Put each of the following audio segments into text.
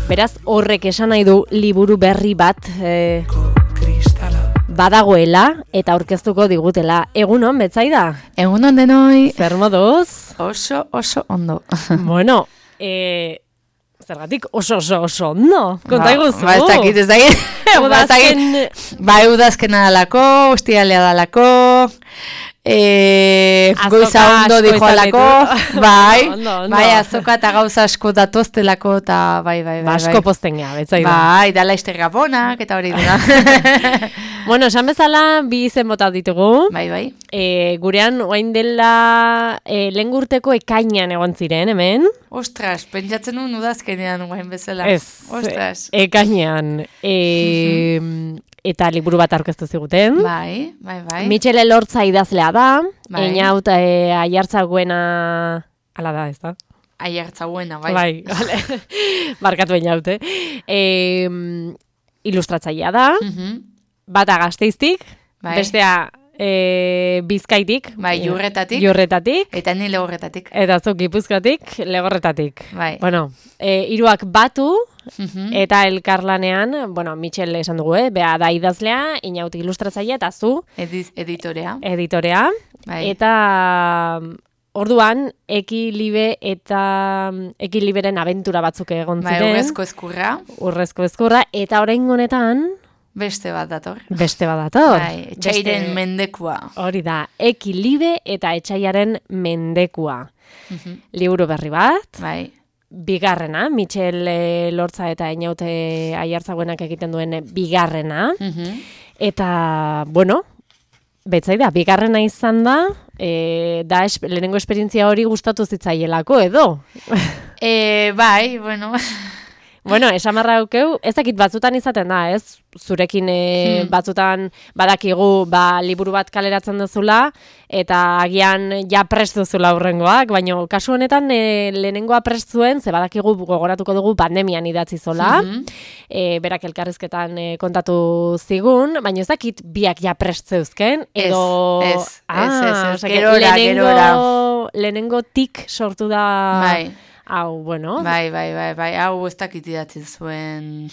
Beraz, horrek esan nahi du liburu berri bat badagoela eta aurkeztuko digutela. Egunon, Betsaida? Egunon denoi. Zer moduz? Oso ondo. Bueno, zergatik oso ondo? Konta iguzu. Ez dakit. Udazkena dalako, ostialea dalako, goiza ondo dijo alako, bai, azoka eta gauza asko datoztelako, eta bai. Asko pozten gea, Betsaida. Bai, dala izter gabonak, eta hori dira. Bueno, esan bezala, bi izen bota ditugu. Bai. Gurean, oain dela lehengurteko ekainean egon ziren, hemen. Ostras, pentsatzen nuen udazkenean oain bezala. Ez, ostras. Ekainean. Eta liburu bat aurkeztu ziguten. Bai. Michel Elortza idazlea da. Bai. Einaut Aiartzaguena... Ala da, ez da? Aiartzaguena, bai. Bai, vale. Barkatu Einaut, ilustratzailea da. Bata Gasteiztik, bai. Bestea Bizkaitik. Bai, Jurretatik. Eta ni Legorretatik. Eta zuk Gipuzkoatik, Legorretatik. Bai. Bueno, hiruak batu, eta elkarlanean, bueno, Michel esan dugu, bea da idazlea, Einaut ilustratzailea, eta zu. Editorea. Bai. Eta... Orduan, Ekiliberen abentura batzuk egon ziren. Bai, Urrezko ezkurra, eta orain honetan... Beste bat dator. Bai, Etxaiaren mendekua. Hori da, Ekilibe eta Etxaiaren mendekua. Liburu berri bat. Bai. Bigarrena, Michel Elortza eta Einaut Aiartzaguenak egiten duen bigarrena. Eta, bueno... Betsaida, bigarrena izan da, lehenengo esperientzia hori gustatu zitzaielako, edo? Bai, bueno... Bueno, esamarra aukeu, ez dakit batzutan izaten da, ez? Zurekin batzutan badakigu liburu bat kaleratzen duzula, eta agian ja prest duzula hurrengoak, baina kasu honetan lehenengoa prest zuen, ze badakigu gogoratuko dugu pandemian idatzi zola, berak elkarrizketan kontatu zigun, baina ez dakit biak ja prest zeuzken, edo... Ez, gerora. Lehenengo tik sortu da... Bai. Hau, bueno. Bai, hau ez dakit idatzi zuen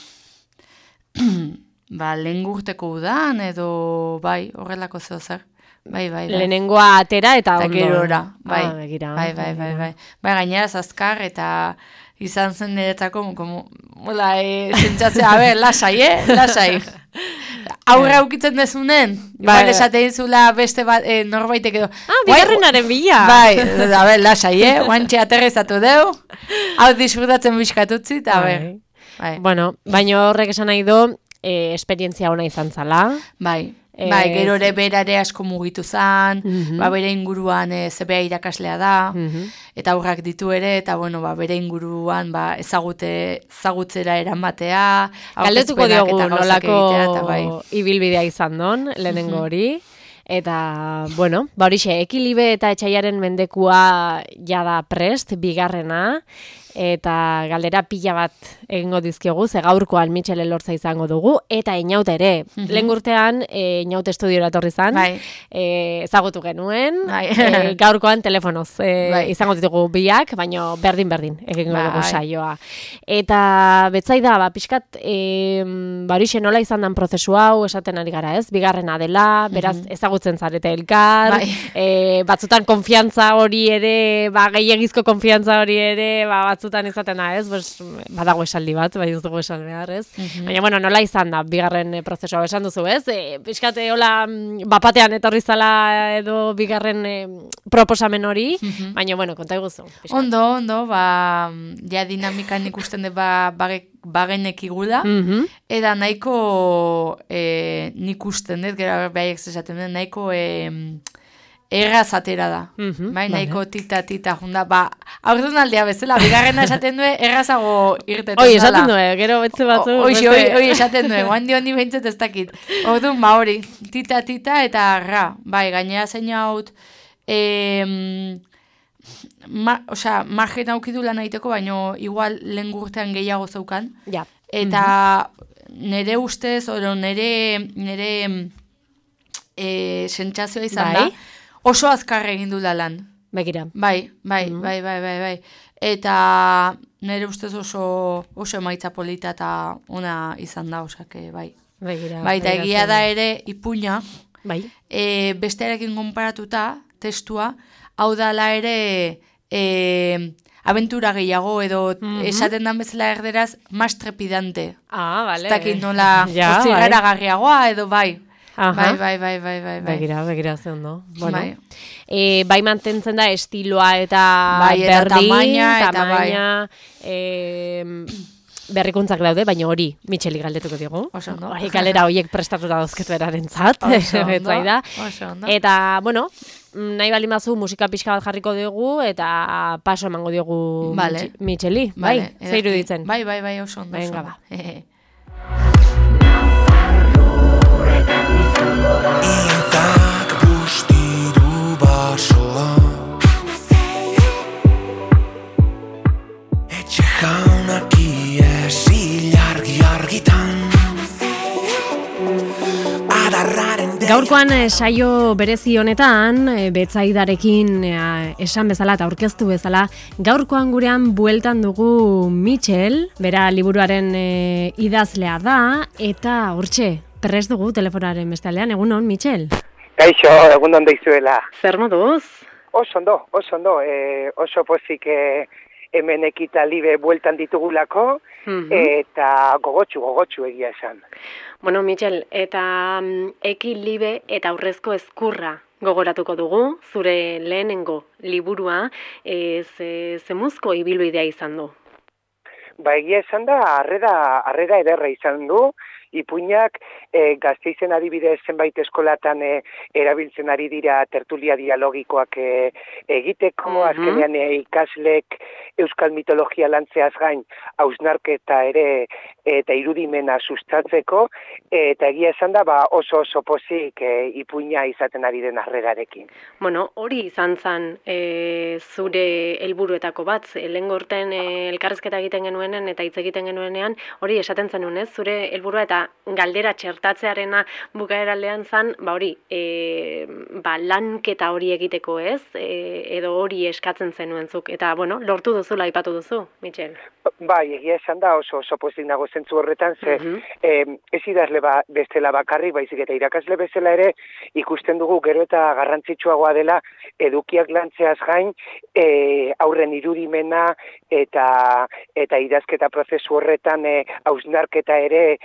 lehengurteko udan, edo bai, horrelako zer. Bai. Lehenengoa atera eta ondo. Gerora, bai. Bai, gainera azkar eta izan zen niretzako, zentzatzea, lasai. Aurra aukitzen dezunen, igual esaten zula beste bat, norbaitek edo. Bigarrenaren bila. Bai, lasai, guantxe aterrizatu deu, hau disfrutatzen bizkatutzi, eta bai. Bueno, baina horrek esan nahi du, esperientzia ona izan zala. Bai, gero ere berare asko mugitu zan, bere inguruan zebea irakaslea da, eta aurrak ditu ere, eta bere inguruan ezagutzera eramatea, galdetuko diogu nolako ibilbidea izan don, lehenengo hori, eta, horixe, Ekilibe eta Etxaiaren mendekua jada prest, bigarrena, eta galdera pila bat egingo dizkiogu, ze gaurkoan Michel Elortza izango dugu, eta Einaut ere. Lehengurtean Einaut estudiora etorri zan, ezagutu genuen, gaurkoan telefonoz izango ditugu biak, baina berdin egingo dugu saioa. Eta Betsaida, pixkat, horixe nola izan dan prozesu hau, esaten ari gara ez, bigarrena dela, beraz ezagutzen zarete elkar, batzutan konfiantza hori ere, gehiagizko konfiantza hori ere, batzutan izaten da, ez? Badago esaldi bat, bai ez dugu esan behar, ez? Baina, nola izan da, bigarren prozesua esan duzu, ez? Pixkate, hola, bapatean etorri zala edo bigarren proposamen hori, baina, konta iguzu. Ondo, ja dinamikan ikusten de bagenek igula, eta nahiko nik usten dut, gero behaiek zesaten dut, nahiko... erraz atera da, nahiko tita junda, aurrun aldea bezala, bigarrena esaten du, errazago irtetan dala. Esaten du, gero betze batzu. Hoi esaten du, handi behintzat ez dakit. Orduan, hori, tita eta ra, gainera zein haut, margen aukidu lan egiteko, baina igual lehen gurtean gehiago zeukan. Eta nire ustez, nire sentsazioa izan da, oso azkar egin du lan. begira. Bai. Eta nire ustez oso emaitza polita eta ona izan da, osake, bai. Begira. Bai, eta egia da ere ipuina, bai. Bestearekin konparatuta, testua, hau dala ere abentura gehiago edo esaten dan bezala erderaz más trepidante. Vale. Ez dakit nola zigara garriagoa edo bai. Bai. Begira ze ondo. Bueno. Bai mantentzen da estiloa eta tamaina, berrikuntzak daude, baina hori Micheli galdetuko digu. Oso ondo. Galera horiek prestatuta dauzketu erarentzat. Oso ondo. Eta, bueno, nahi baldin bazu musika pixka bat jarriko dugu eta paso emango diogu Micheli. Bai, zeiru ditzen. Bai, oso ondo. Venga, ba. Intzak bustidu basoa Etxe jaunak iesi argitan Gaurkoan saio berezi honetan, Betzaidarekin esan bezala eta aurkeztu bezala, gaurkoan gurean bueltan dugu Michel, bera liburuaren idazlea da, eta hortxe, prest dugu telefonaren bestaldean, egunon, Michel? Kaixo, egunon deizuela. Zer moduz? Oso ondo, oso pozik hemen Ekita Libe bueltan ditugulako, eta gogotsu egia esan. Bueno, Michel, eta Eki Libe eta aurrezko ezkurra gogoratuko dugu, zure lehenengo liburua, zemuzko ibilbidea izan du? Ba, egia esan da, harrera ederra izan du, ipuinak Gasteizen adibidez zenbait eskolatan erabiltzen ari dira tertulia dialogikoak egiteko, azkenean ikaslek euskal mitologia lantzeaz gain hausnarketa ere eta irudimena sustatzeko, eta egia esan da oso pozik ipuina izaten ari den harrerarekin. Bueno, hori izan zen zure helburuetako bat, lehengo urten elkarrizketa egiten genuenen eta hitz egiten genuenean, hori esaten zenuen, ez? Zure helburua eta galdera txertatzearena bukaeraldean zen, hori, lanketa hori egiteko, ez? Edo hori eskatzen zenuenzuk. Eta, bueno, lortu duzula aipatu duzu, Michel. Bai, egia esan da oso pozik nago zentzu horretan, ze ez idazle bestela bakarrik, baizik eta irakasle bezala ere ikusten dugu gero eta garrantzitsuagoa dela edukiak lantzeaz gain aurren irudimena eta idazketa prozesu horretan hausnarketa ere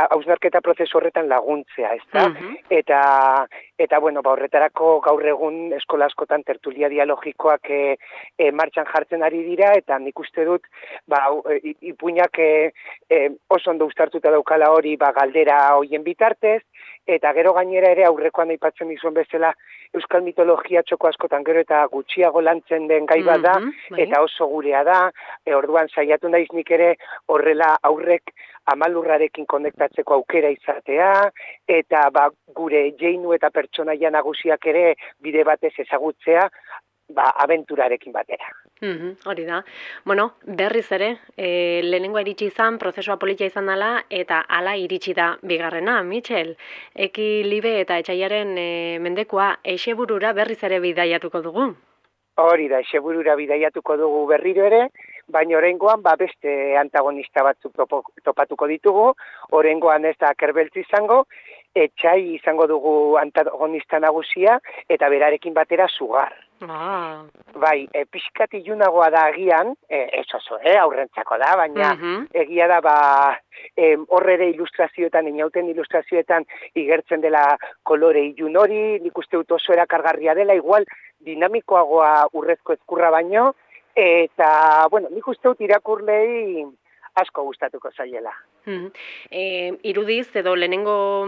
hausnarketa prozesu horretan laguntzea, ezta? Eta bueno, horretarako gaur egun eskola askotan tertulia dialogikoak martxan jartzen ari dira, eta nik uste dut ipuinak oso ondo uztartuta daukala hori galdera hoien bitartez, eta gero gainera ere aurrekoan aipatzen dizuen bezala euskal mitologia txoko askotan gero eta gutxiago lantzen den gai bat da, eta oso gurea da, orduan saiatu naiz nik ere horrela aurrek amalurrarekin konektatzeko aukera izatea, eta gure jeinu eta pertsonaia nagusiak ere bide batez ezagutzea, abenturarekin batera. Hori da. Bueno, berriz ere, lehenengoa iritsi izan, prozesua politia izan dela, eta hala iritsi da bigarrena, Michel. Eki Libe eta Etsaiaren mendekua Etxeburura berriz ere bidaiatuko dugu. Hori da, Etxeburura bidaiatuko dugu berriro ere, baina oraingoan beste antagonista batzuk topatuko ditugu, oraingoan ez da Kerbeltz izango, Etsai izango dugu antagonista nagusia, eta berarekin batera Sugar. Bai, pixkat ilunagoa da agian, ez oso, aurrentzako da, baina egia da, hor ere ilustrazioetan, inauten ilustrazioetan igertzen dela kolore ilun hori, nik uste dut oso erakargarria dela, igual dinamikoagoa urrezko ezkurra baino, eta, bueno, nik uste dut irakurlei asko gustatuko zaiela. Irudiz, edo lehenengo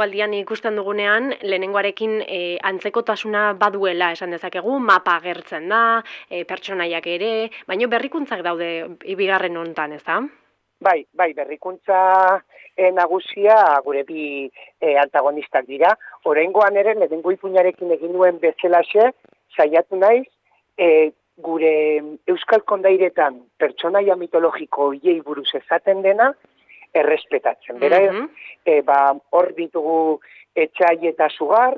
aldian ikusten dugunean, lehenengoarekin antzekotasuna baduela esan dezakegu, mapa agertzen da, pertsonaiak ere, baina berrikuntzak daude bigarren hontan, ez da? Bai, berrikuntza nagusia gure bi antagonistak dira. Oraingoan ere, lehenengo ipuinarekin egin nuen bezalaxe, saiatu naiz, gure euskal kondairetan pertsonaia mitologiko hiei buruz esaten dena, errespetatzen. Beraz, hor ditugu Etsai eta Sugar,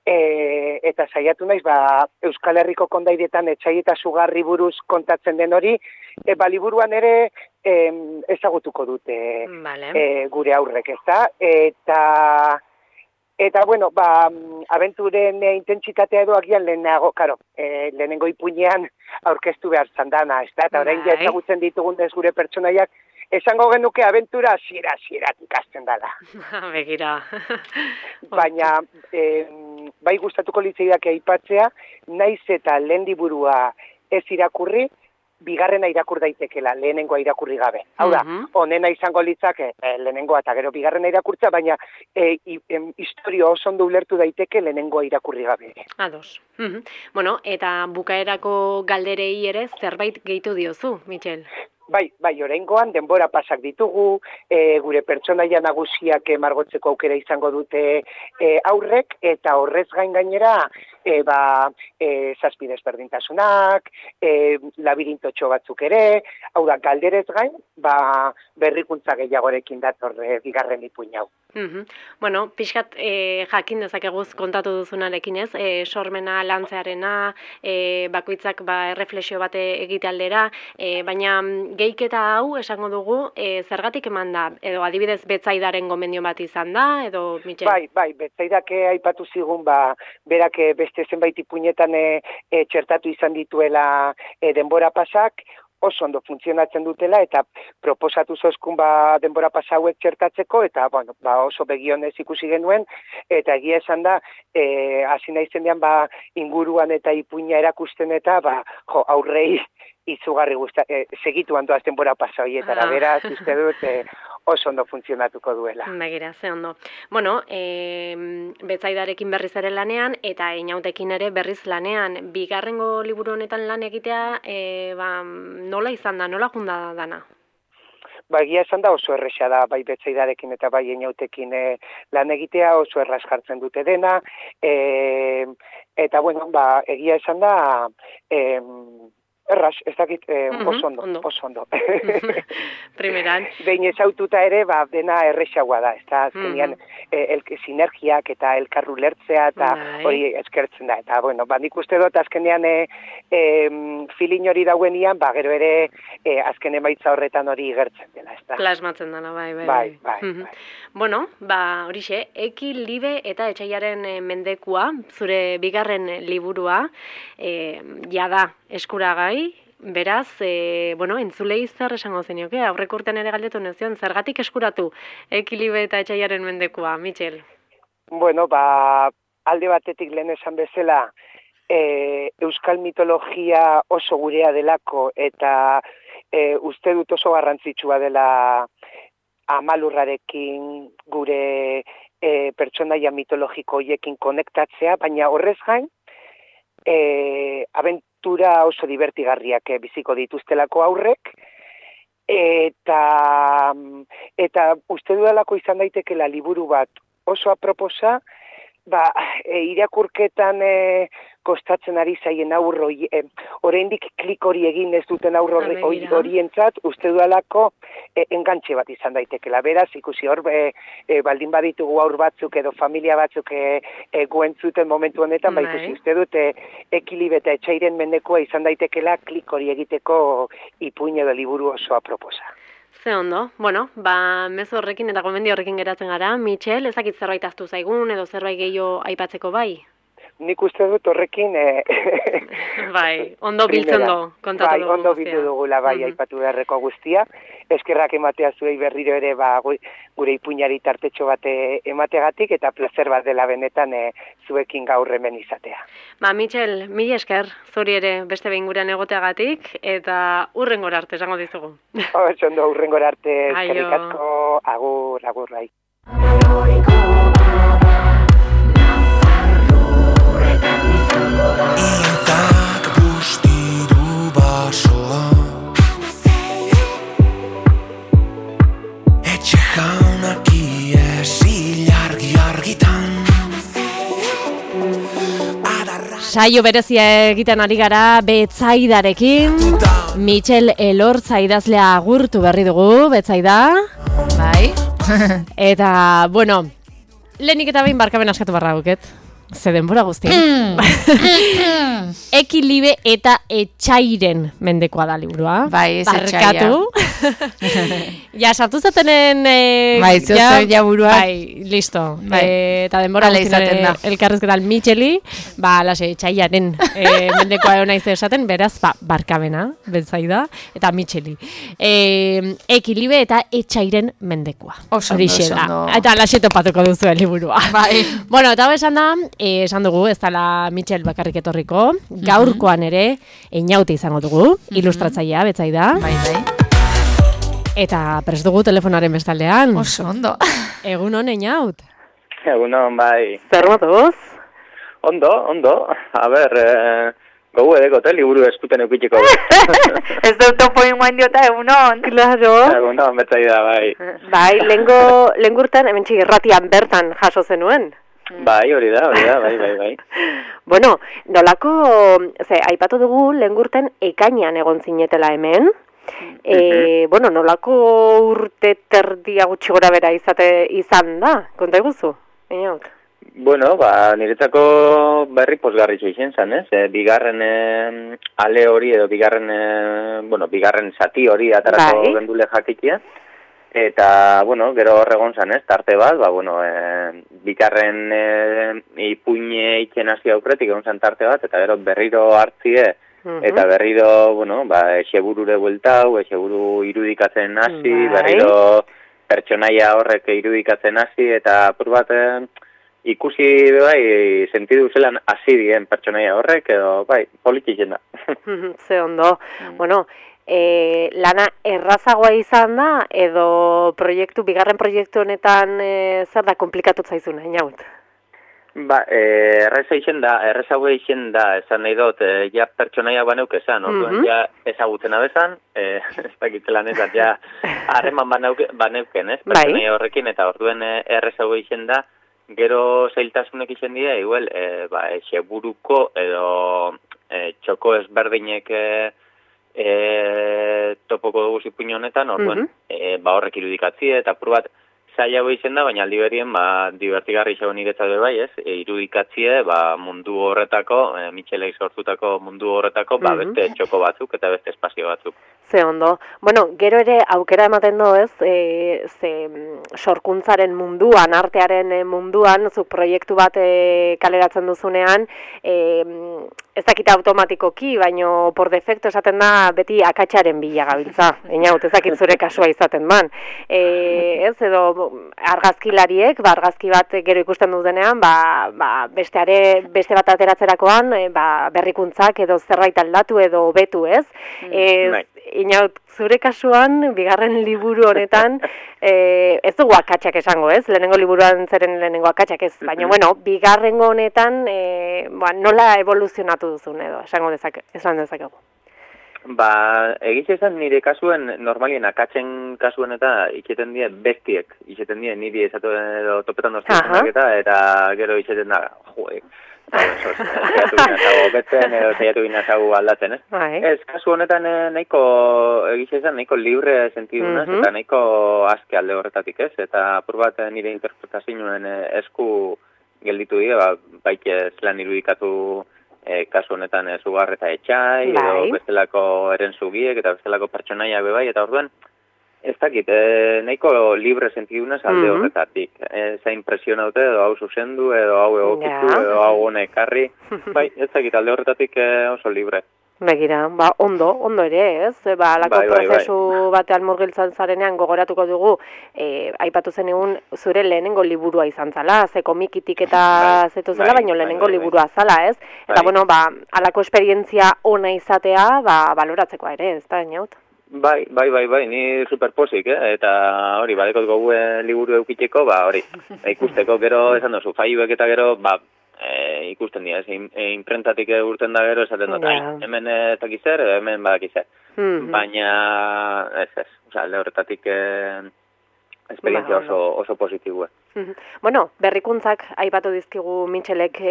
eta saiatu naiz, Euskal Herriko kondairetan etxai eta sugarri buruz kontatzen den hori, liburuan ere ezagutuko dute gure aurrek, ezta? Eta bueno, abenturen intentsitatea edo agian lehenago, lehenengo ipuinean aurkeztu behar zandana, ezta? Eta orain ja ezagutzen ditugun ez gure pertsonaiak, esango genuke abentura hasieratik hasten dela. Begira. Baina, bai gustatuko litzaidake aipatzea, naiz eta lehen liburua ez irakurri, bigarrena irakur daitekela, lehenengoa irakurri gabe. Hau da, honena izango litzake lehenengoa eta gero bigarrena irakurtza, baina historio oso ondo ulertu daiteke lehenengoa irakurri gabe. Ados. Bueno, eta bukaerako galderei ere zerbait gehitu diozu, Mitxel? Bai, oraingoan denbora pasak ditugu, gure pertsonaia nagusiak margotzeko aukera izango dute aurrek, eta horrez gainera, zazpi desberdintasunak, labirintotxo batzuk ere, hau da, galderez gain, berrikuntza gehiagorekin dator bigarren ipuin hau. Bueno, pixkat jakin dezakeguz kontatu duzunarekin ez, sormena lantzearena, bakoitzak erreflexio bate egite aldera, baina geiketa hau esango dugu, zergatik eman da, edo adibidez Betsaidaren gomendio bat izan da, edo Mitxel? Bai, Betsaidak aipatu zigun, berak beste zenbait ipuinetan txertatu izan dituela denbora pasak, oso ondo funtzionatzen dutela, eta proposatu zozkun denbora pasa hauek txertatzeko, eta oso begionez ikusi genuen, eta egia esan da, hasi naizen dean inguruan eta ipuina erakusten eta aurrei izugarri segitu handoaz denbora pasa horietara, beraz, uste dut oso ondo funtzionatuko duela. Begira, ze ondo. Bueno, Betsaidarekin berriz ere lanean, eta Inautekin ere berriz lanean, bigarrengo liburu honetan lan egitea, nola izan da, nola junda dana? Egia esan da oso erresa da, bai Betsaidarekin eta bai Inautekin lan egitea, oso erraz jartzen dute dena, eta bueno, egia esan da, erraz, ez dakit, oso ondo. Primeran. Behin ezaututa ere, dena erresagoa da, ez da, azkenean, sinergiak eta elkarru lertzea, eta hori eskertzen da, eta, bueno, nik uste dut, azkenean, filin hori dauenian, gero ere, azken emaitza horretan hori gertzen dela, ez da. Plasmatzen dela, bai. Bueno, horixe, Eki, Libe eta Etsaiaren mendekua, zure bigarren liburua, jada eskuragai, beraz, entzulei zer esango zenioke, aurreko urtean ere galdetu nezion, zergatik eskuratu Eki, Libe eta Etsaiaren mendekua, Mitxel? Bueno, alde batetik lehen esan bezala, euskal mitologia oso gurea delako, eta uste dut oso garrantzitsua dela Amalurrarekin gure pertsonaia mitologiko hoiekin konektatzea, baina horrez gain, abentura oso divertigarriak biziko dituztelako aurrek, eta uste dudalako izan daitekela liburu bat oso aproposa, irakurketan kostatzen ari zaien aurro, oraindik klik hori egin ez duten aurro horientzat, uste dudalako engantxe bat izan daitekela. Beraz, ikusi hor, baldin baditugu aur batzuk edo familia batzuk guentzuten momentu honetan, ikusi uste dut Eki, Libe eta Etsairen mendekua izan daitekela klik hori egiteko ipuin edo liburu oso aproposa. Ze ondo. Bueno, mezu horrekin eta gomendio horrekin geratzen gara. Mitxel, ezakit zerbait ahaztu zaigun edo zerbait gehiago aipatzeko bai? Nik uste dut horrekin... ondo biltzen du, kontatu dugu. Ondo bildu dugula, aipatu beharreko guztia. Eskerrak ematea zuei berriro ere gure ipuinari tartetxo bat emategatik, eta placer bat dela benetan zuekin gaur hemen izatea. Mitxel, mila esker, zuri ere beste behin gurean egoteagatik, eta hurrengora arte esango dizugu. Ondo, hurrengora arte, eskerrik asko, agur, bai. Intzak bustidu basoa, etxe jaunak iesi argitan. Saio berezia egiten ari gara Betsaidarekin. Mitxel Elortza idazlea agurtu berri dugu, Betsaida. Bai. Eta, bueno, lehenik eta behin barkaben askatu barra guket. ze denbora guzti. Ekilibe eta etxairen mendekoa da liburua. Bai, ez etxaia. Ja, sartu zatenen... Bai, ja burua. Bai, listo. Eta denbora guzti elkarrezketan Micheli, lase, etxaiaren mendekoa egon naiz esaten, beraz, barkamena, betzaida, eta Micheli. Ekilibe eta etxairen mendekoa. Oso ondo. Eta lase topatuko duzu liburua. Bai. Bueno, eta esan da, esan dugu, ez dela Michel bakarrik etorriko, gaurkoan ere, Einaute izango dugu, ilustratzailea, betzaida. Bai. Eta prest dugu telefonaren bestaldean. Oso ondo. Egunon, Einaut. Egunon, bai. Zer moduz? Ondo. A ber, gogu edekote, liburu eskuten eukitxiko. Ez dut topoin guain diota, egunon. Claro. Egunon, betzaida, bai. Bai, lengurten, hemen irratian bertan jaso zenuen. Bai, hori da, bai. Bueno, nolako, aipatu dugu lengurten ekainean egon zinetela hemen. Bueno, nolako urte terdia gutxi gora bera izan da, konta eguzu, Einaut? Bueno, niretzako berri posgarritxo izan zen, ez? Bigarren ale hori edo bigarren zati hori atarako gendule jakitia. Eta, gero horregon zan, ez? Tarte bat, bigarren ipuine itxen hasi aukretik egon zan tarte bat, eta gero berriro hartzie, eta berriro, eseburure bueltau, eseburu irudikatzen hasi, berriro pertsonaia horrek irudikatzen hasi, eta apur bat ikusi sentidu zelan hasi dien pertsonaia horrek, edo polititzen da. Ze ondo, lana errazagoa izan da, edo bigarren proiektu honetan zer da komplikatu zaizuna, Einaut? Errazagoa izan da, esan nahi dut, ja pertsonaia baneuk esan, orduan ja ezagutzen abezan, ez dakitzelan ez, ja harreman baneuken, ez, pertsonaia horrekin, eta orduan errazagoa izan da, gero zailtasunek izan dira, igual, seburuko edo txoko ezberdinek topoko dugu zipuño honetan, orduan, horrek irudikatzie, eta apur bat zailago izen da, baina aldi berien, divertigarri izan niretzat bai, ez? Irudikatzie, mundu horretako, Michelek sortutako mundu horretako, beste txoko batzuk eta beste espazio batzuk. Ze ondo. Bueno, gero ere aukera ematen du, ez? Sorkuntzaren munduan, artearen munduan, zuk proiektu bat kaleratzen duzunean, ez dakit automatikoki, baino por defecto esaten da beti akatsaren bila gabiltza. Einaut, ez dakit zure kasua izaten man. Ez, edo argazkilariek, argazki bat gero ikusten dutenean, beste bat ateratzerakoan, berrikuntzak edo zerbait aldatu edo hobetu, ez? Einaut, zure kasuan, bigarren liburu honetan, ez dugu akatsak esango, ez? Lehenengo liburuan zeren lehenengo akatsak ez, baina, bigarrengo honetan, nola evoluzionatu duzun edo, esan dezakegu. Egiz esan nire kasuen, normalien akatzen kasuen eta iketen die bestiek, iketen die niri esatu edo topetan doztuzunak eta gero iketen da, zaiatu binazago betzen edo zaiatu binazago aldatzen, ez? Ez, kasu honetan nahiko, egiz esan, nahiko libre sentidunaz eta nahiko aske alde horretatik, ez? Eta apur bat nire interpretazioen esku gelditu dira, baike zelan irudikatu kasu honetan Sugar eta Etxai, edo bestelako erenzugiek eta bestelako pertsonaia bebai, eta orduan, ez dakit, nahiko libre sentidunez alde horretatik. Eza impresionaute, edo hau zuzendu, edo hau egokitu, edo hau honek karri, ez dakit, alde horretatik oso libre. Begira, ondo ere, ez? Alako prozesu batean murgiltzan zarenean gogoratuko dugu, aipatu zen egun zure lehenengo liburua izan zala, ze komikitik eta zetu zela, baina lehenengo liburua zala, ez? Eta, alako esperientzia ona izatea, baloratzekoa ere, ez da, Einaut? Bai, ni superposik, eta hori, badekot gogu liburu eukiteko, hori, ikusteko gero, esan duzu, faiuek eta gero, ikusten dira, imprentatik urten da gero, esaten dut, hemen takizer, hemen badakizer. Baina, ez, alde horretatik esperientzia oso positibue. Berrikuntzak aipatu dizkigu Michelek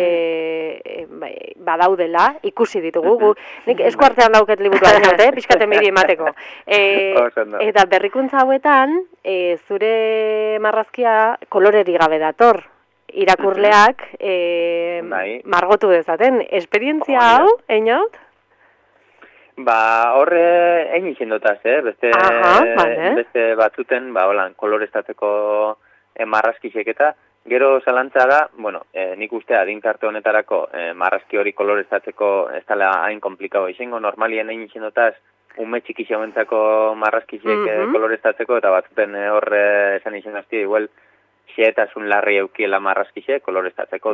badaudela, ikusi ditugu, nik esku artean dauket liburuan, pixkaten behiri emateko. Eta berrikuntza hauetan, zure marrazkia koloreri gabe dator. irakurleak margotu dezaten. Esperientzia hau, Einaut? Horre egin izendotaz, beste batzuten, holan, koloreztatzeko marrazkisek eta, gero zalantza da, nik uste adintarte honetarako marrazki hori koloreztatzeko ez dela hain komplikau izango, normalien egin izendotaz, ume txiki xauentzako marrazkisek koloreztatzeko, eta batzuten horre esan izendazti, igual, xeetasun larri eukiela marrazkisek koloreztatzeko,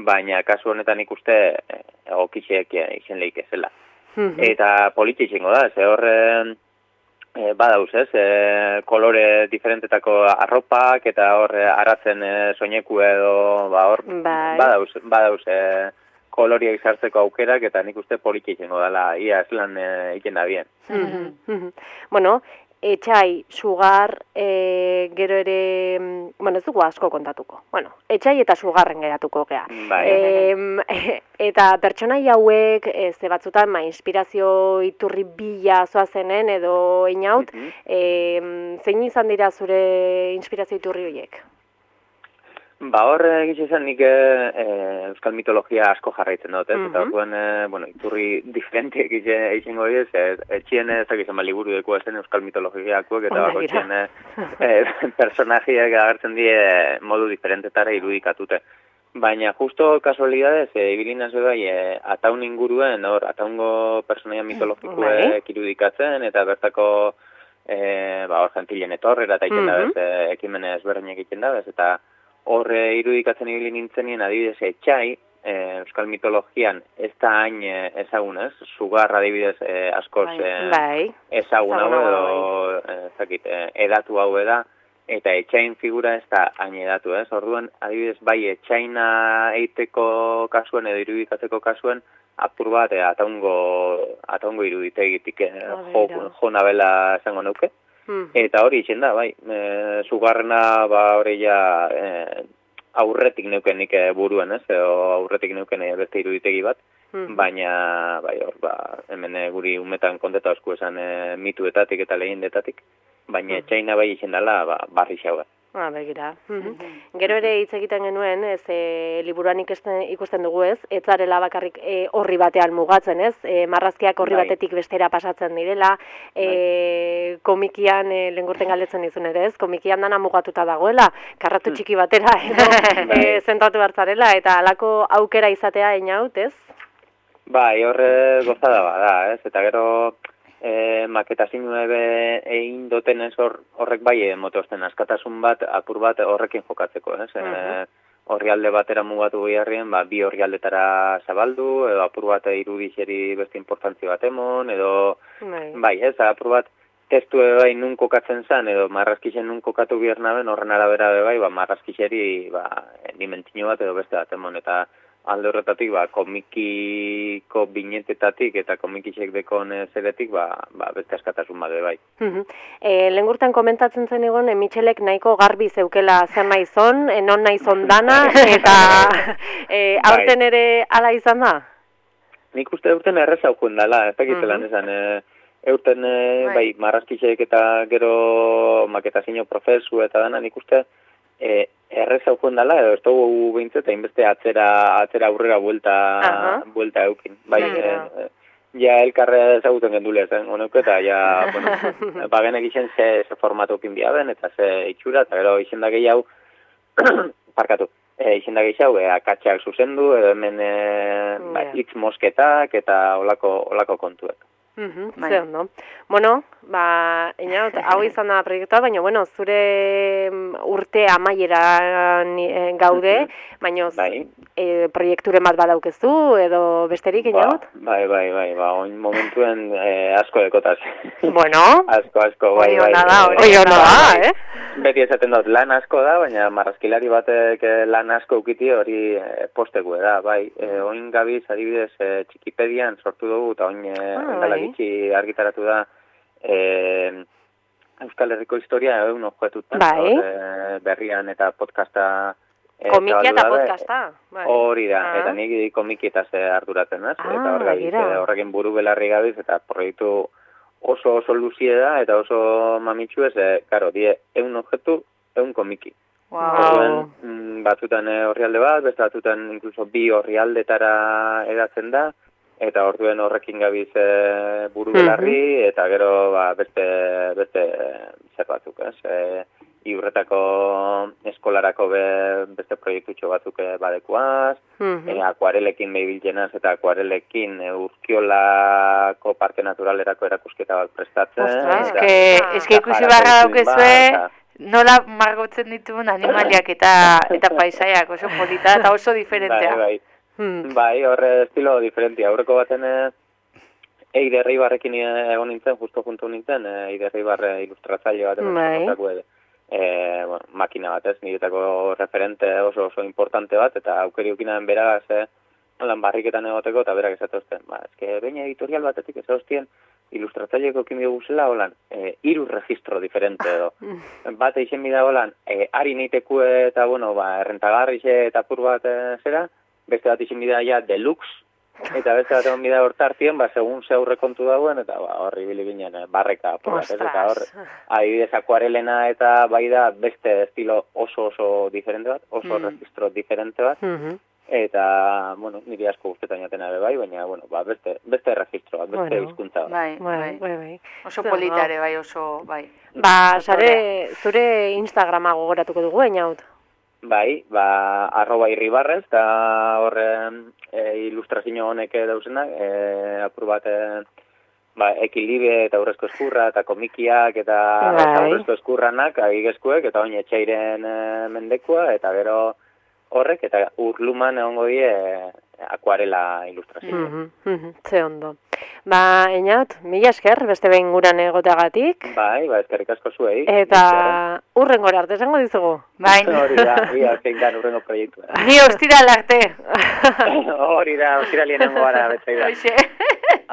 baina kasu honetan ikuste egokisek izen lehik ezela. Eta politxe izango da, horre badauz, kolore diferentetako arropak, eta horre aratzen soineku edo, badauz koloria izartzeko aukerak, eta nik uste politxe izango dela, ia eslan egin da bien. Bueno, etxai, sugar, gero ere, ez dugu asko kontatuko. Etxai eta sugarren geratuko gea. Eta pertsonai hauek, ze batzutan, inspirazio iturri bila zoazenen, edo Einaut, zein izan dira zure inspirazio iturri horiek? Horre egizizan nik euskal mitologia asko jarraitzen dut, eta orduan, iturri diferente egizango dira, etxien ezakizan liburu dekoa zen euskal mitologiakoak, eta bako etxien personajiak agertzen die modu diferentetara irudikatute. Baina justo kasualidadez, ibilina zeu bai, ataun inguruen, ataungo personaia mitologikoek irudikatzen, eta bertako gentilen etorrera eta egiten dabez, ekimene ezberdinak egiten dabez, eta horre irudikatzen ibili nintzenien adibidez etxai, euskal mitologian ez da hain ezagunez, sugar adibidez askoz ezagun hau edo edatu hau eda, eta etxain figura ez da hain edatu ez. Orduan adibidez bai etxaina eiteko kasuen edo irudikatzeko kasuen apur bat ataungo iruditegitik jo nabela esango nuke. Eta hori izen da, sugarrena hori ja aurretik neuken nik buruen, edo aurretik neuken beste iruditegi bat, baina hemen guri umetan konteta osku esan mituetatik eta lehendetatik, baina etxaina bai izen dela barri xauga. Begira. Gero ere hitz egiten genuen, liburuan ikusten dugu ez zarela bakarrik horri batean mugatzen ez, marrazkiak horri batetik bestera pasatzen direla, komikian, lengurten galdetzen dizun ere ez, komikian dana mugatuta dagoela, karratu txiki batera, zentratu hartzarela, eta alako aukera izatea Einaut, ez? Horre gozada bada, ez, eta gero maketazinu egin doten ez horrek bai motozten askatasun bat, apur bat horrekin jokatzeko, ez? Horri alde batera mugatu beharrien, bi horri aldetara zabaldu, edo apur bat irudixeri beste importantzio bat emon, edo ez, apur bat testu bai nun kokatzen zan, edo marrazkixen nun kokatu behar naben, horren arabera bai, marrazkixeri dimentsio bat edo beste bat emon, eta alde horretatik, komikiko binetetatik eta komikisek dekon zeretik, beste askatasun bade bai. Lengurtan komentatzen zen egon, Michelek nahiko garbi zeukela zer nahi zon, non nahi zon dana, eta aurten ere ala izan da? Nik uste aurten errez haukuen dela, ez dakitelan esan, aurten marrazkisek eta gero maketazio profesu eta dana, nik uste errez haukuen dela, edo ez dugu behintzet, hainbeste atzera aurrera buelta eukin. Ja elkarre ezaguten gendulea zen, eta bagenek izen ze formatu eukin biaben, eta ze itxura, eta gero izen da gehiago, izen da gehiago, akatxak zuzendu, edo hemen hitz mosketak, eta olako kontuek. Ze ondo. Einaut, hau izan da proiektua, baina, zure urte amaieran gaude, baina proiekturen bat badaukezu, edo besterik, Einaut? Bai, oin momentuen asko dekotaz. Asko, bai. Hori hona da, Beti esaten dut, lan asko da, baina marrazkilari batek lan asko ukiti hori posteku da, bai. Oin gabiz, adibidez, Txikipedian sortu dugu, eta oin dela gitxi argitaratu da Euskal Herriko historia egun objetutan, berrian eta podcasta komikia eta podcasta. Hori da, eta nik komikietaz arduratzen, eta horrekin buru belarri gabiz, eta proiektu oso luzie da, eta oso mamitxu ez, karo, die, egun objektu, egun komiki. Batzutan orrialde bat, beste batzutan inkluso 2 orrialdetara edatzen da, eta orduen horrekin gabiz buru belarri, eta gero beste zer batzuk, Iurretako eskolarako beste proiektutxo batzuk badekuaz, akuarelekin behibilgenaz eta akuarelekin Urkiolako Parke Naturalerako erakusketa bat prestatzen. Eske ikusi barra daukezue, nola margotzen dituen animaliak eta paisaiak, oso polita eta oso diferentea. Bai, horre estilo diferentia. Aurreko baten Eider Eibarrekin egon nintzen, justo juntu nintzen, Eider Eibar ilustratzaile bat, makina bat ez, niretako referente oso importante bat, eta aukeriukinaren beragaz, lan barriketan egoteko, eta berak esatozten, eske baina editorial batetik ez hostien, ilustratzaileko kimio guzela, holan, 3 registro diferente edo. Bat eixen bida holan, ari neiteku eta, errentagarrixe eta pur bat zera, beste bat eixen bida ja deluxe, eta beste bat egon bida hortartien, segun ze aurre kontu dagoen, eta horri bilibinen barreka pur bat, eta hor, adibidez akuarelena eta bai da beste estilo oso diferente bat, oso registro diferente bat, eta, niri asko guztetan jaten abe bai, baina, beste registro bat, beste hizkuntza bat. Bai. Oso politare, bai, oso, bai. Zure Instagrama gogoratuko dugu, Einaut? Bai, @irribarrez, eta horren ilustrazio honek dauzenak, apur bat, ekilibe eta aurrezko eskurra, eta komikiak, eta aurrezko eskurranak, agigezkuek, eta oin etxairen mendekua, eta gero horrek, eta urluman egongo die akuarela ilustrazio. Ze ondo. Einaut, mila esker, beste behin guran egoteagatik. Bai, eskerrik asko zuei. Eta urrengora arte esango dizugu. Bai. Hori da, zein dan urrengo proiektua. Ni ostiral arte. Hori da, ostiralien nengo gara, betzai da.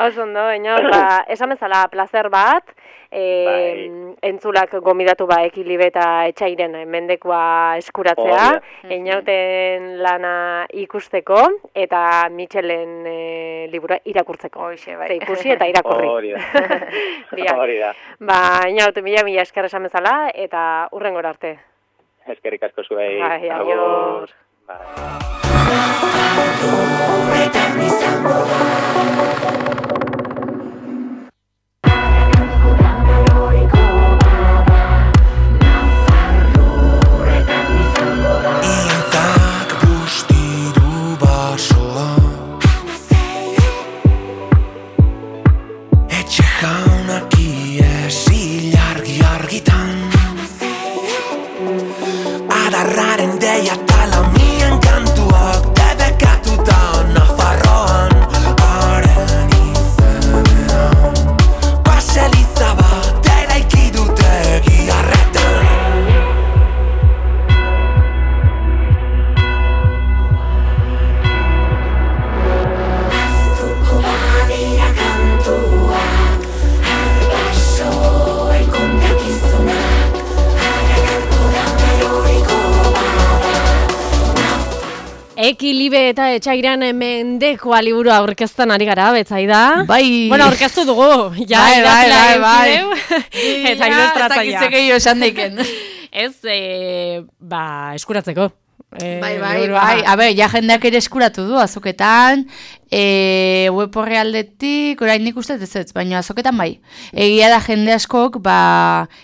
Oso ondo, Einaut, esan bezala placer bat, entzulak gomidatu ekilibe eta etxairen mendekua eskuratzea, Einauten lana ikusteko, eta Mitxelen libura irakurtzeko. Hoxe, bai. Ikusi eta irakurri. Hori da. Einaut, mila esker esan bezala, eta urrengora arte. Eskerrik asko zuei. Bai, agur. Adarraren deia talamien kantuak debekatuta Nafarroan haren izenean Baseliza bat eraiki dute giarretan Aztuko badira kantuak Arbasoen kontakizunak Ekilibe eta etxairan mendekoa liburu aurkezten ari gara, betzaida. Bai. Aurkeztu dugu. Bai. Eta ilustratzaia. Ez dakizek esan daiken. Ez, eskuratzeko. Bai. Ja jendeak ere eskuratu du, azoketan, web horrealdetik, orain nik uste ez, baina azoketan bai. Egia da jende askok,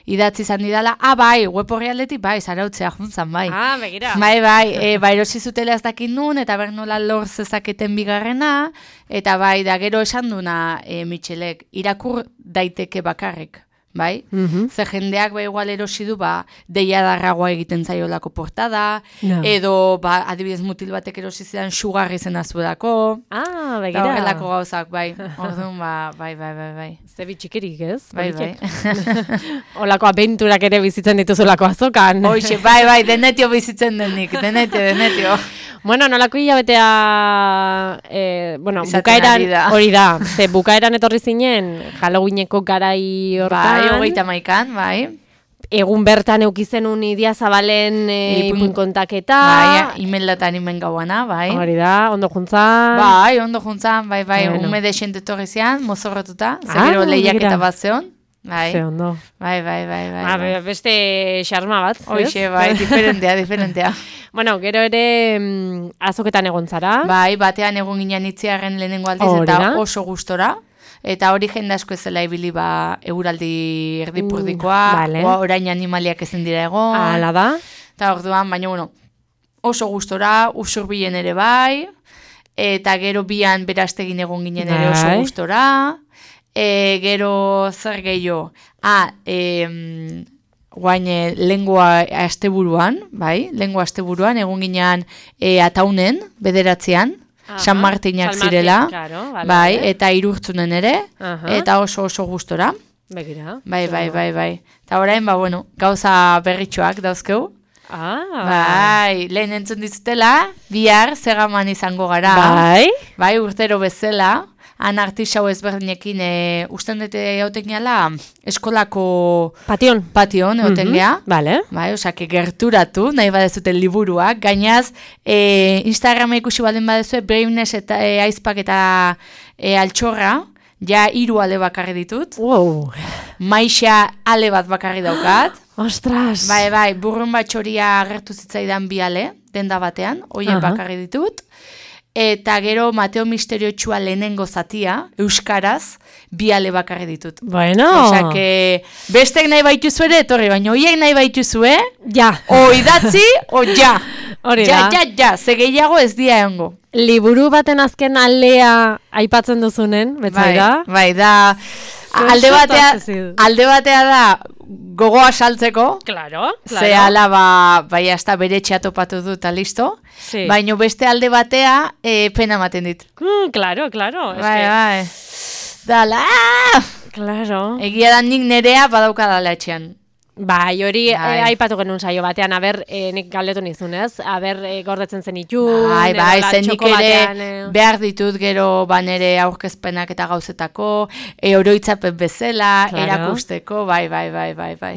idatzi izan didala, bai, web horrealdetik, bai, zarautzea juntzan, bai. Begira. Bai, erosi zutela ez dakit nun, eta bernola lor zezaketen bigarrena, eta bai, da gero esan duna, Mitxelek, irakur daiteke bakarrik. Bai? Ze jendeak igual erosi du deiadarragoa egiten zaiolako portada, edo adibidez mutil batek erosi zidan sugarri zen azuelako. Begira. Horrelako gauzak, bai. Orduan, bai. Ze bitxikerik, ez? Bai. Olako abenturak ere bizitzen dituzulako azokan. Hoxe, bai, denetio bizitzen denik, denetio. Nolako hilabetea, bukaeran, hori da, ze bukaeran etorri zinen, Halloweeneko garai hortan. Bai, 31, bai. Egun bertan eukizenun Idia Zabalen ipuin kontaketa. Bai, imeldatan imen gauana, bai. Hori da, ondo juntzan. Bai, ondo juntzan, bai. Ume desente torri zian, mozorrotuta, zegero lehiak eta bat zeon. Ze ondo. Bai. Beste xarma bat, ez? Hoxe, bai, diferentea. Bueno, gero ere azoketan egon zara. Bai, batean egon ginen itziarren lehenengo aldiz eta oso gustora. Eta hori jende asko ezela ibili euraldi erdipurdikoa, orain animaliak ezin dira egon. Hala da. Eta orduan, baina bueno, oso gustora, usurbilen ere bai, eta gero bian beraztegin egon ginen ere oso gustora, gero zer gehiago, guain lengua asteburuan, bai, lengua asteburuan, egon ginen ataunen, bederatzean, San Martinak zirela, bai, eta irurtzunen ere, eta oso gustora. Begira. Bai. Eta orain, bueno, gauza berritxoak dauzkeu. Bai, lehen entzun dizutela, bihar zegaman izango gara. Bai, urtero bezala, han artisau ezberdinekin usten dute egoten gehala eskolako pation egoten geha. Bai, osak gerturatu, nahi badezuten liburuak. Gainaz, Instagrama ikusi baldin badezue, Braveness eta aizpak eta altxorra, ja 3 ale bakarri ditut. Maixa ale bat bakarri daukat. Ostras! Bai, burrun batxoria agertu zitzaidan 2 ale, denda batean, hoien bakarri ditut. Eta gero Mateo Misteriotxua lehenengo zatia, euskaraz, 2 ale bakarri ditut. Bueno! Osak, bestek nahi baituzu ere, etorri, baina hoiek nahi baituzu, ja! O idatzi, o ja! Hori da. Ja, ze gehiago ez dia egongo. Liburu baten azken alea aipatzen duzunen, betzaira? Bai, da... Alde batea da gogoa saltzeko. Claro. Ze ala bai hasta bere txatopatu dut eta listo. Baina beste alde batea pena ematen dit. Claro. Bai. Dala! Claro. Egia da nik nerea badaukadala etxean. Bai, hori aipatu genuen saio batean, nik galdetu nizunez, gordetzen zen itun. Bai, zen nik ere behar ditut gero banere aurkezpenak eta gauzetako, oroitzapen bezala, erakusteko, bai.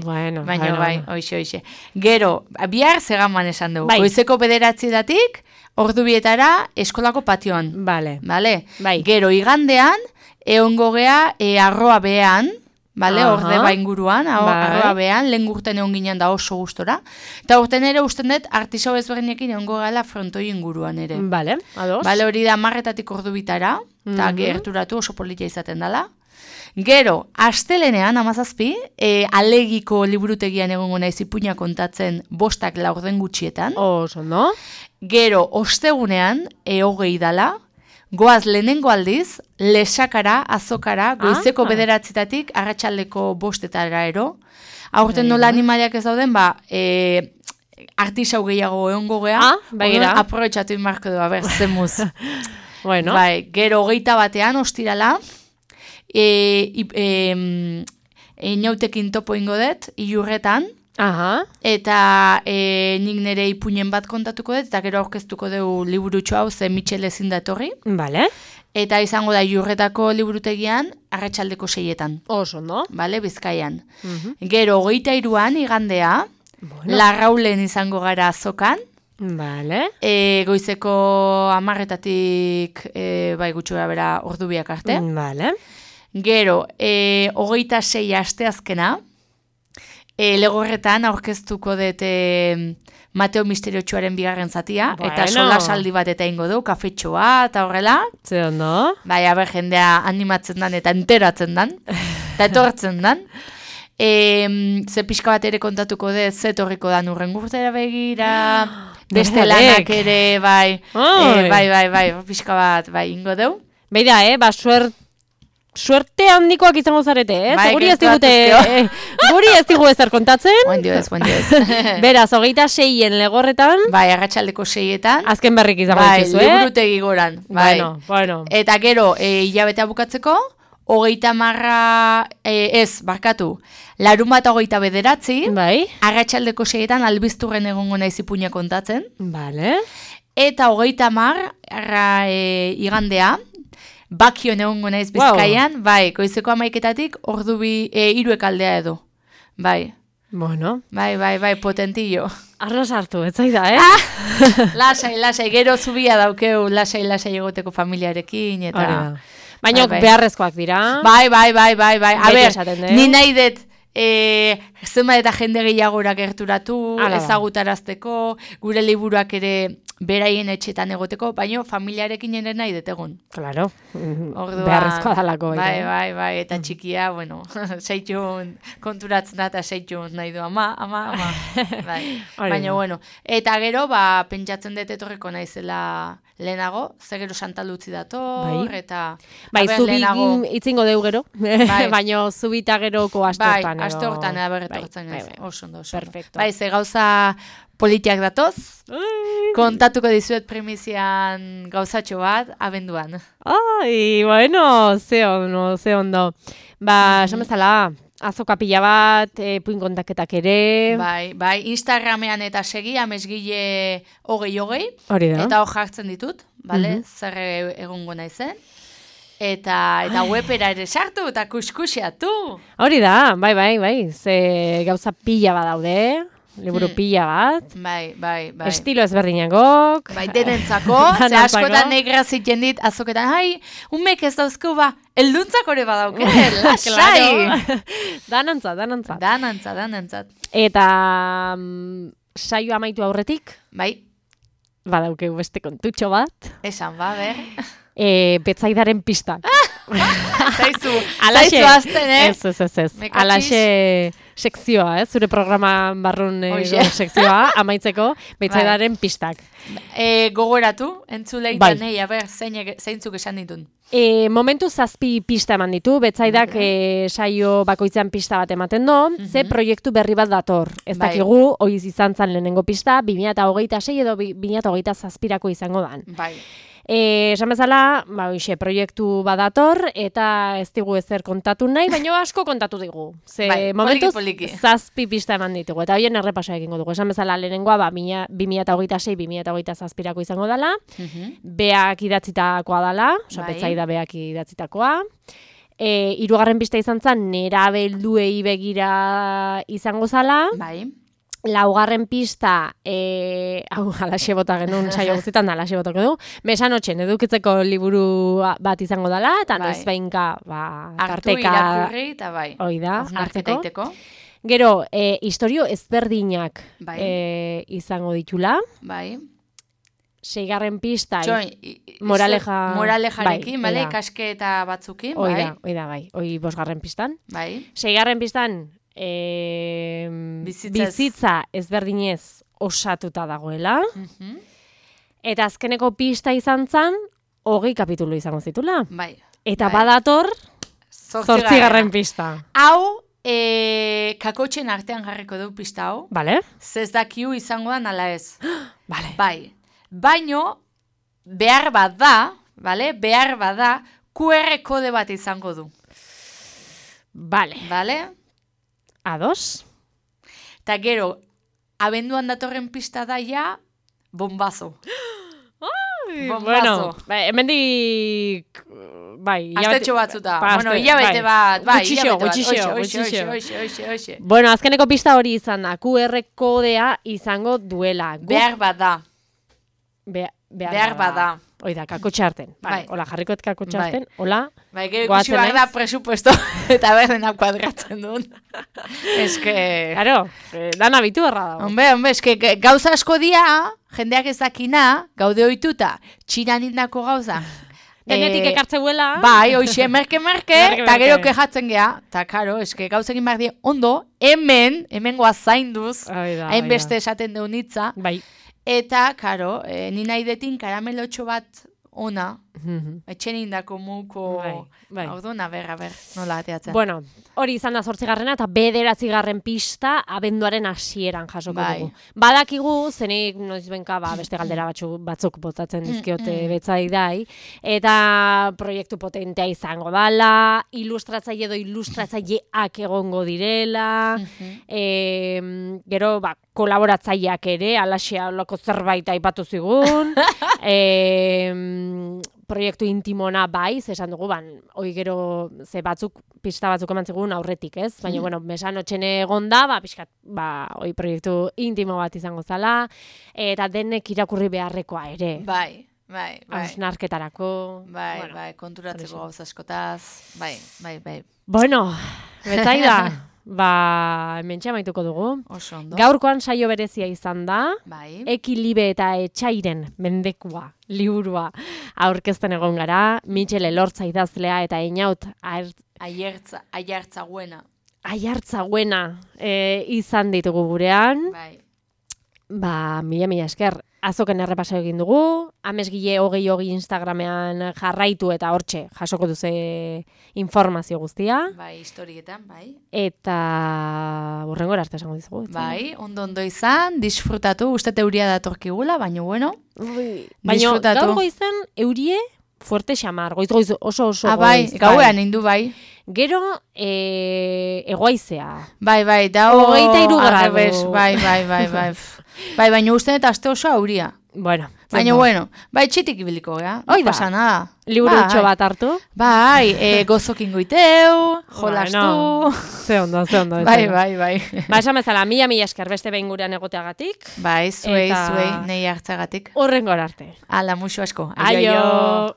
Bueno, baina bai, hoxe. Gero, bihar zegaman esan dugu, goizeko 9:00 ordubietara eskolako patioan. Bale. Gero, igandean, egongo gea arroa behan, orde inguruan, arroa behan, lehen urten egon ginen da oso gustora. Eta urten ere usten dut artisau ezberdinekin egongo gala frontoi inguruan ere. Bale, ados. Hori da 10:00 ordubitara, eta gerturatu oso politia izaten dela. Gero, astelenean, 17, alegiko liburutegian egongo naiz ipuina kontatzen 5 laurden gutxietan. Oso, no? Gero, ostegunean, 20 dala, goaz lehenengo aldiz, lesakara, azokara, goizeko 9:00 arratsaldeko 5:00 ero. Aurten nola animaliak ez dauden, artisau gehiago egongo gea, aprobetxatu inmarko du, zemuz. Bueno. Gero 21 ostirala, inautekin topo ingo dut, Ilurretan, eta nik nire ipuinen bat kontatuko dut, eta gero aurkeztuko dugu liburutxo hau, ze Michel ezin da etorri. Bale. Eta izango da Ilurretako liburutegian, arratsaldeko 6:00. Oso, no? Bale, Bizkaian. Gero 23an, igandea, Larraulen izango gara azokan. Bale. Goizeko 10:00 gutxura bera ordubiak arte. Bale. Gero, 26 asteazkena, Legorretan aurkeztuko dut Mateo Misteriotxuaren 2. zatia, eta solasaldi bat eta ingo du, kafetxoa, eta horrela. Ze ondo? Bai, jendea animatzen dan eta enteratzen dan, eta etortzen dan. Ze pixka bat ere kontatuko dut, ze torriko dan urren urtera begira, beste lanak ere, bai, pixka bat, ingo du. Beira, suerte handikoak izango zarete, guri ez digu ezer kontatzen. Buen dios. Beraz, 26en Legorretan. Bai, arratsaldeko 6:00. Azken berrik izango dituzu, liburutegi goran. Bueno. Eta gero, hilabetea bukatzeko, 30, larunbat 29, arratsaldeko 6:00 albizturren egongo naiz ipuina kontatzen. Bale. Eta 30, igandea, Bakion egongo naiz Bizkaian, goizeko 11:00 ordubi 3 aldea edo. Bai. Bueno. Bai, potentillo. Arro sartu, ez zaida, Lasai, gero zubia daukeu, lasai egoteko familiarekin, eta... Baina beharrezkoak dira. Bai. A ber, ni nahi dut zenbat eta jende gehiagora gerturatu, ezagutarazteko, gure liburuak ere beraien etxetan egoteko, baina familiarekin ere nahi dut egon. Claro, beharrezkoa dalako. Bai, eta txikia, bueno, seitxun konturatzen da, eta seitxun nahi du, ama. Bai. Baina, bueno, eta gero, pentsatzen dut etorriko naizela lehenago, ze gero Santalutzi dator, eta... Bai, zubi itzingo deu gero, baina zubita geroko aste hortan. Bai, aste hortan berretortzen ez, oso ondo. Perfecto. Bai, ze gauza politiak datoz, kontatuko dizuet primizian gauzatxo bat, abenduan. Ai, bueno, ze ondo. Esan bezala, azoka pila bat, puin kontaketak ere. Bai, Instagramean eta segi, amesgile hogei. Hori da. Eta hor jartzen ditut, bale, zer egongo naizen. Eta webera ere sartu eta kuskusiatu. Hori da, bai, ze gauza pila bat daude. Liburu pila bat. Bai. Estilo ezberdinagok. Bai, denentzako. Ze askotan negraziten dit, azoketan, umek ez dauzko elduntzak hori badauke. Lasai. Danantzat. Eta saio amaitu aurretik. Bai. Badauke beste kontutxo bat. Esan, ber. Betzaidaren pistak. Zaizu azten, Ez. Alaxe sekzioa, zure programa barrun sekzioa, amaitzeko, Betzaidaren pistak. Gogoratu, entzuleitan, zeintzuk esan ditun. Momentu 7 pista eman ditu, Betzaidak saio bakoitzean pista bat ematen do, ze proiektu berri bat dator. Ez dakigu, oiz izan zan lehenengo pista, 2026 edo 2027ko izango dan. Bai. Esan bezala, proiektu badator, eta ez digu ezer kontatu nahi, baina asko kontatu digu. Ze momentuz, 7 pista eman ditugu, eta hoien errepasoa egingo dugu. Esan bezala, lehenengoa, 2026-2027ko izango dela, beak idatzitakoa dela, Betzaida beak idatzitakoa. 3. pista izan zen, nerabelduei begira izango zala. Bai. 4. pista, alaxe bota genuen saio guztietan da, alaxe botako du, mesanotxen edukitzeko liburu bat izango dela, eta noiz behinka, tarteka... irakurri, eta bai. Oida, hartzeko. Gero, historio ezberdinak izango ditula. Bai. 6. pista, moralejarekin, bale, ikasketa batzukin, bai. Oida, bai. 5. pistan. Bai. 6. pistan, bizitza ezberdinez osatuta dagoela. Eta azkeneko pista izan zan, 20 kapitulu izango zitula. Bai. Eta badator, 8. pista. Hau, kakotxen artean jarriko du pista hau. Bale. Zez dakiu izango da nala ez. Bale. Bai. Baino, behar bat da, QR kode bat izango du. Bale. Ados. Eta gero, abenduan datorren pista da ja, bombazo. Bueno, hemendik... Astetxo batzuta. Bueno, hilabete bat. Gutxixo. Bueno, azkeneko pista hori izan da. QR kodea izango duela. Behar bat da. Behar bat da. Oida, kakotxarten. Hola, jarrikoet kakotxarten. Hola. Bai, gero ikusi behar da presupuesto eta berdena kuadratzen duen. Eske... Claro, dan abitu erra dago. Hombre, eske gauza asko dia, jendeak ez dakina, gaude ohituta, Txinan indako gauza. Denetik ekartzeuela. Bai, hoxe, merke, eta gero kejatzen gea. Eta, karo, eske gauzekin behar die ondo, hemen goa zainduz, hainbeste esaten deun hitza. Bai. Eta, karo, ni nahi detin karamelotxo bat ona, etxen indako muko, orduna, ber, nola ateatzen. Bueno, hori izan da 8. eta 9. pista abenduaren hasieran jasoko dugu. Badakigu, zenik noizbenka beste galdera batzuk botatzen dizkiote Betzaidai, eta proiektu potentea izango dala, ilustratzaile edo ilustratzaileak egongo direla, gero, kolaboratzaileak ere, alaxea loko zerbait aipatu zigun, proiektu intimona esan dugu, hoi gero ze pista batzuk eman zigun aurretik, ez? Baina, bueno, mesanotxene egon da, proiektu intimo bat izango zala, eta denek irakurri beharrekoa ere. Bai. hausnarketarako. Bai, konturatzeko gauza askotaz. Bai. Bueno, betzaida. Hemen txamaituko dugu. Oso ondo. Gaurkoan saio berezia izan da. Bai. Ekilibe eta Etsairen mendekua, liburua aurkezten egon gara. Mitxel Elortza idazlea eta Einaut Aiartzaguena. Aiartzaguena izan ditugu gurean. Bai. Mila esker. Azoken errepaso egin dugu, Amesgile 20 Instagramean jarraitu eta hortxe jasoko duze informazio guztia. Bai, historietan, bai. Eta burrengora arte esango dizugu. Bai, ondo izan, disfrutatu, uste euria datorkigula, baina bueno. Baina gaur goizen eurie fuerte xamar, goiz oso bai, gauean indu bai. Gero egoaizea. Bai, da 23 gradu. Bai. Bai, baina uste eta aste oso auria. Bueno. Bai, txitik ibiliko, ja? Hoi da. Pasa nada. Liburutxo bat hartu. Bai, gozokin goiteu, jolastu. Ze ondo. Bai. Esan bezala, mila esker beste behin gurean egoteagatik. Bai, zuei, nahi hartzagatik. Horrengor arte. Ala, musu asko. Aio.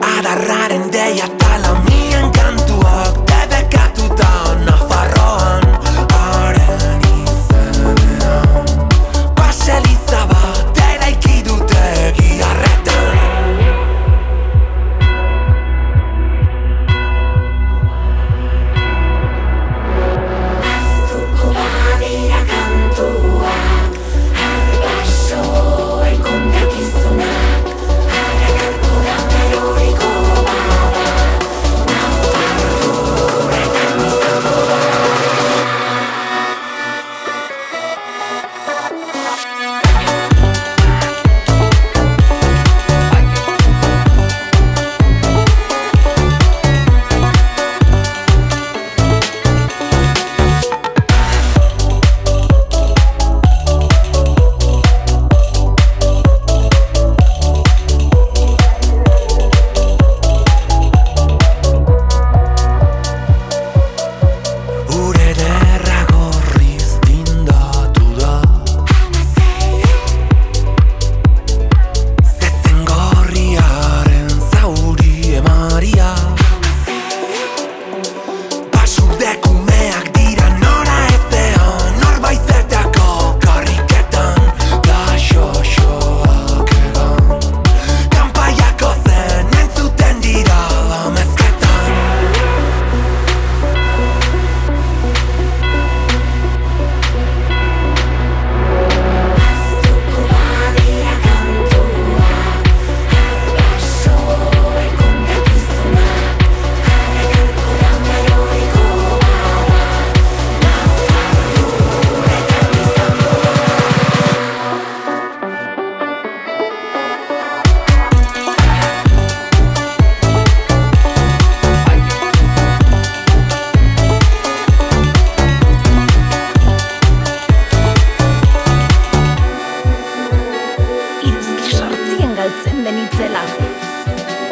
Adarraren deia talamien kantuak debekatuta Nafarroan haren izenean Baseliza bat eraiki dute giharretan Aztuko badira kantuak Arbasoen kontakizunak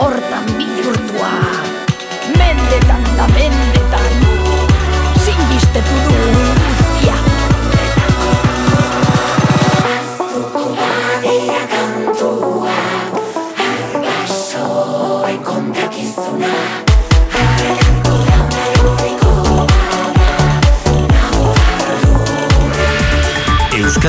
Hortan bihurtua mendetan da mendetan singistetu du guztia Aztuko badira kantua Arbasoen kontakizunak